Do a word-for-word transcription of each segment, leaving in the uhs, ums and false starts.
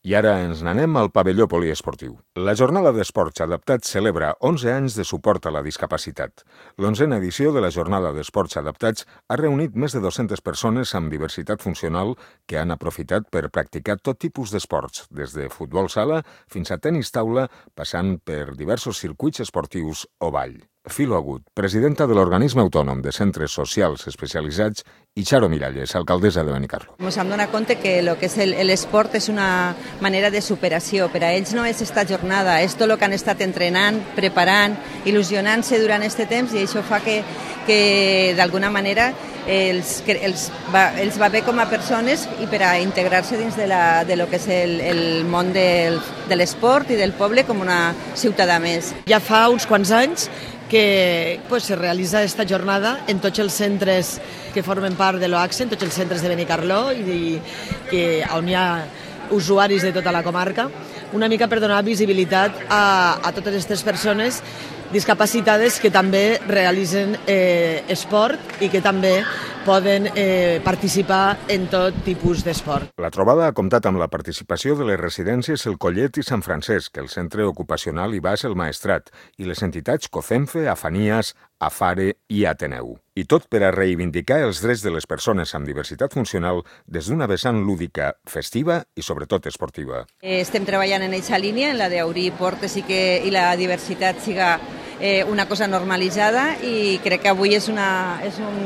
I ara ens n'anem al pavelló poliesportiu. La Jornada d'Esports Adaptats celebra onze anys de suport a la discapacitat. L'onzena edició de la Jornada d'Esports Adaptats ha reunit més de dues-centes persones amb diversitat funcional que han aprofitat per practicar tot tipus d'esports, des de futbol sala fins a tenis taula, passant per diversos circuits esportius o ball. Filo Agut, presidenta de l'Organisme Autònom de Centres Socials Especialitzats, i Charo Miralles, alcaldessa de Benicarló. Ens hem donat compte que el que és l'esport és una manera de superació. Per a ells no és esta jornada, és tot el que han estat entrenant, preparant, il·lusionant-se durant aquest temps, i això fa que, que d'alguna manera els, els, va, els va bé com a persones i per a integrar-se dins de, la, de lo que és el, el món del, de l'esport i del poble com una ciutadà més. Ja fa uns quants anys que pues, se realitza aquesta jornada en tots els centres que formen part de l'O A C S E, en tots els centres de Benicarló, i, i que, on hi ha usuaris de tota la comarca, una mica per donar visibilitat a, a totes aquestes persones discapacitades que també realitzen eh, esport i que també poden eh, participar en tot tipus d'esport. La trobada ha comptat amb la participació de les residències El Collet i Sant Francesc, el Centre Ocupacional i Bas El Maestrat, i les entitats COCENFE, Afanias, Afare i Ateneu. I tot per a reivindicar els drets de les persones amb diversitat funcional des d'una vessant lúdica, festiva i sobretot esportiva. Estem treballant en aquesta línia, en la d'obrir portes i que i la diversitat siga eh, una cosa normalitzada, i crec que avui és, una, és un,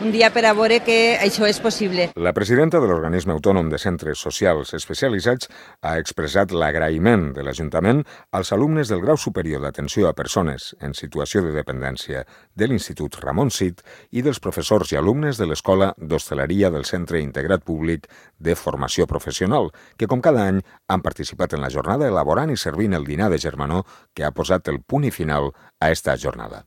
un dia per a veure que això és possible. La presidenta de l'Organisme Autònom de Centres Socials Especialitzats ha expressat l'agraïment de l'Ajuntament als alumnes del grau superior d'atenció a persones en situació de dependència de l'Institut Ramon Cid i dels professors i alumnes de l'Escola d'Hostaleria del Centre Integrat Públic de Formació Professional, que com cada any han participat en la jornada elaborant i servint el dinar de germanor que ha posat el punt i final a esta jornada.